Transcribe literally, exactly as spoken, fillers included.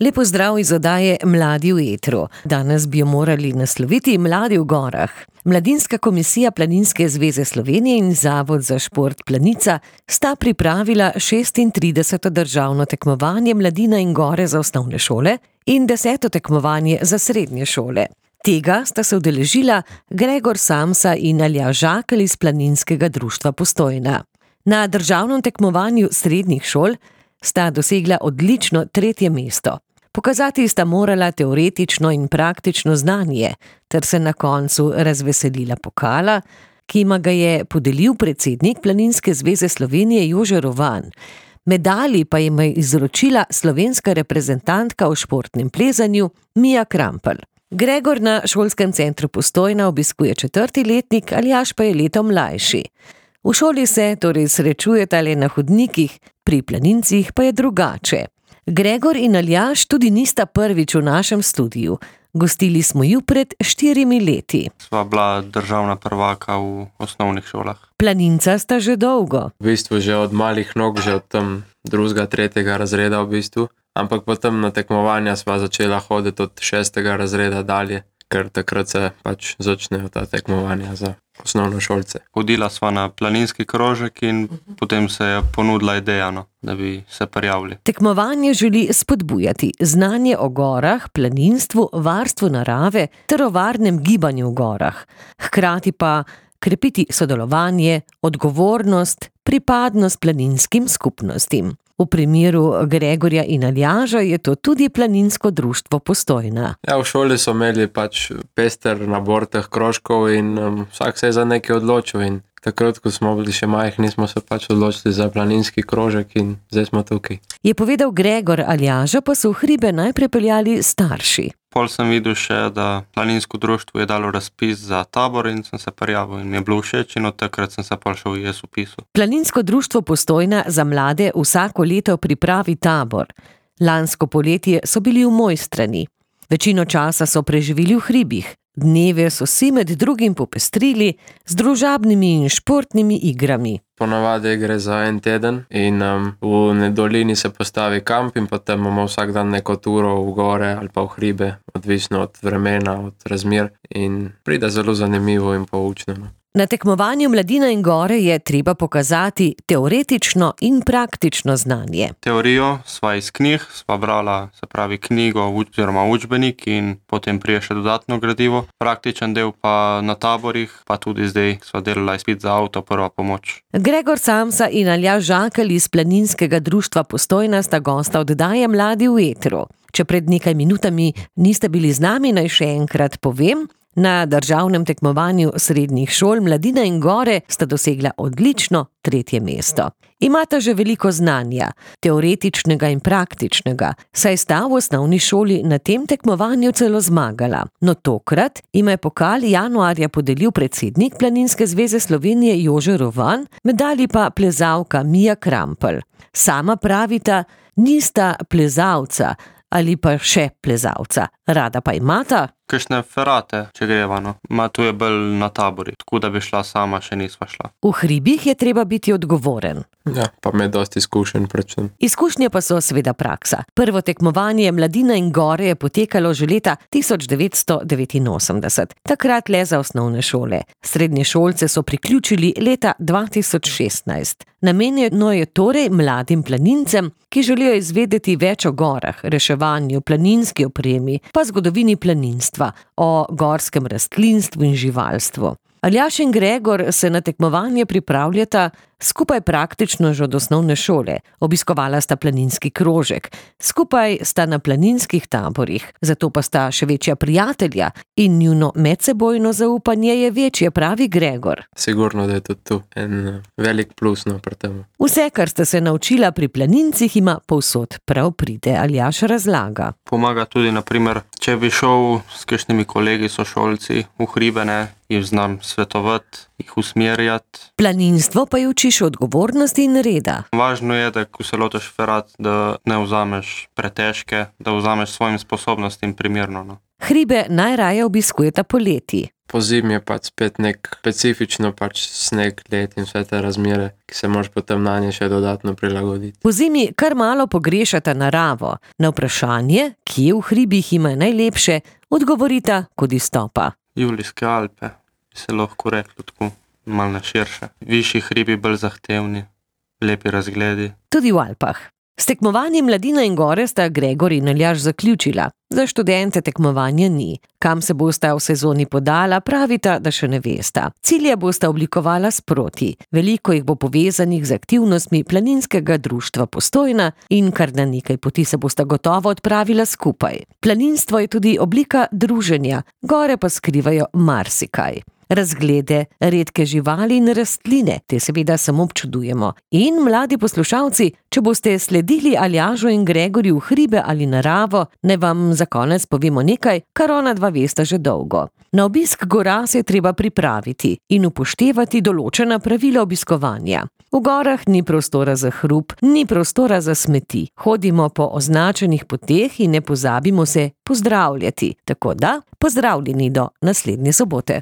Lepo zdrav iz oddaje Mladi v etru. Danes bi jo morali nasloviti Mladi v gorah. Mladinska komisija Planinske zveze Slovenije in Zavod za šport Planica sta pripravila šestintrideseto državno tekmovanje Mladina in gore za osnovne šole in deseto tekmovanje za srednje šole. Tega sta se udeležila Gregor Samsa in Aljaž Žakelj iz Planinskega društva Postojna. Na državnem tekmovanju srednjih šol sta dosegla odlično tretje mesto. Pokazati sta morala teoretično in praktično znanje, ter se na koncu razveselila pokala, ki jima ga je podelil predsednik Planinske zveze Slovenije Jože Rovan. Medalji pa jima je izročila slovenska reprezentantka v športnem plezanju Mija Krampelj. Gregor na šolskem centru Postojna obiskuje četrti letnik, Aljaž pa je leto mlajši. V šoli se torej srečujeta le na hodnikih, pri planincih pa je drugače. Gregor in Aljaž tudi nista prvič v našem studiu. Gostili smo ju pred štirimi leti. Sva bila državna prvaka v osnovnih šolah. Planinca sta že dolgo. V bistvu že od malih nog, že od tam drugega, tretjega razreda v bistvu. Ampak potem na tekmovanja sva začela hoditi od šestega razreda dalje, ker takrat se pač začnejo ta tekmovanja za osnovnošolce. Hodila sva na planinski krožek in potem se je ponudila ideja, no, da bi se prijavili. Tekmovanje želi spodbujati znanje o gorah, planinstvu, varstvu narave ter o varnem gibanju v gorah. Hkrati pa krepiti sodelovanje, odgovornost, pripadnost planinskim skupnostim. V primeru Gregorja in Aljaža je to tudi Planinsko društvo Postojna. Ja, v šoli so imeli pač pester nabor teh krožkov in um, vsak se je za nekaj odločil in takrat, ko smo bili še majhni, smo se pač odločili za planinski krožek in zdaj smo tukaj. Je povedal Gregor, Aljaža pa so v hribe najprej peljali starši. Pol sem videl še, da Planinsko društvo je dalo razpis za tabor in sem se prijavil in mi je bilo všeč in od takrat sem se pol še v jaz upisal. Planinsko društvo Postojna za mlade vsako leto pripravi tabor. Lansko poletje so bili v Mojstrani. Večino časa so preživeli v hribih. Dneve so si med drugim popestrili z družabnimi in športnimi igrami. Ponavadi gre za en teden in um, v dolini se postavi kamp in potem imamo vsak dan neko turo v gore ali pa v hribe, odvisno od vremena, od razmer in pride zelo zanimivo in poučno. Na tekmovanju Mladina in gore je treba pokazati teoretično in praktično znanje. Teorijo sva iz knjig, sva brala, se pravi knjigo oziroma učbenik in potem prije še dodatno gradivo. Praktičen del pa na taborih, pa tudi zdaj sva delala izpit za avto, prva pomoč. Gregor Samsa in Aljaž Žakelj iz Planinskega društva Postojna sta gosta oddaje Mladi v etru. Če pred nekaj minutami niste bili z nami, naj še enkrat povem, na državnem tekmovanju srednjih šol Mladina in gore sta dosegla odlično tretje mesto. Imata že veliko znanja, teoretičnega in praktičnega, saj sta v osnovni šoli na tem tekmovanju celo zmagala. No tokrat ima je pokal januarja podelil predsednik Planinske zveze Slovenije Jože Rovan, medalji pa plezalka Mija Krampelj. Sama pravita, nista plezalca ali pa še plezalca, rada pa imata kakšne ferate, če greva, no. Ma tu je bolj na tabori, tako da bi šla sama, še nisva šla. V hribih je treba biti odgovoren. Ja, pa me dosti izkušenj predvsem. Izkušnje pa so seveda praksa. Prvo tekmovanje Mladina in gore je potekalo že leta tisoč devetsto devetinosemdeset, takrat le za osnovne šole. Srednje šolce so priključili leta dva tisoč šestnajst. Namenjeno je torej mladim planincem, ki želijo izvedeti več o gorah, reševanju, planinski opremi, pa zgodovini planinstva, o gorskem rastlinstvu in živalstvu. Aljaž in Gregor se na tekmovanje pripravljata skupaj praktično že od osnovne šole. Obiskovala sta planinski krožek, skupaj sta na planinskih taborih, zato pa sta še večja prijatelja in njuno medsebojno zaupanje je večje, pravi Gregor. Sigurno, da je tudi tu en velik plus no pri tem. Vse, kar sta se naučila pri planincih, ima povsod prav pride, Aljaž razlaga. Pomaga tudi, na primer, če bi šel s kakšnimi kolegi sošolci v hribene, jih znam svetovati, jih usmerjati. Planinstvo pa je učiš odgovornosti in reda. Važno je, da ko se lotiš ferat, da ne vzameš pretežke, da vzameš svojim sposobnostim primerno. No. Hribe najraje obiskujeta poleti. Po zimi je pač spet nek specifično pač sneg, led in vse te razmere, ki se moraš potem na nje še dodatno prilagoditi. Po zimi kar malo pogrešata naravo. Na vprašanje, kje v hribih ima najlepše, odgovorita kot izstopa. Julijske Alpe, se lahko reklo tako, malo na širše. Višji hribi, bolj zahtevni, lepi razgledi. Tudi v Alpah. S tekmovanjem Mladina in gore sta Gregor in Aljaž zaključila. Za študente tekmovanja ni. Kam se bosta v sezoni podala, pravita, da še ne vesta. Cilje bosta oblikovala sproti. Veliko jih bo povezanih z aktivnostmi Planinskega društva Postojna in kar na nekaj poti se bosta gotovo odpravila skupaj. Planinstvo je tudi oblika druženja, gore pa skrivajo marsikaj. Razglede, redke živali in rastline, te seveda samo občudujemo. In mladi poslušalci, če boste sledili Aljažu in Gregorju v hribe ali naravo, ne vam za konec povemo nekaj, kar ona dva vesta že dolgo. Na obisk gora se je treba pripraviti in upoštevati določena pravila obiskovanja. V gorah ni prostora za hrup, ni prostora za smeti. Hodimo po označenih poteh in ne pozabimo se pozdravljati. Tako da, pozdravljeni do naslednje sobote.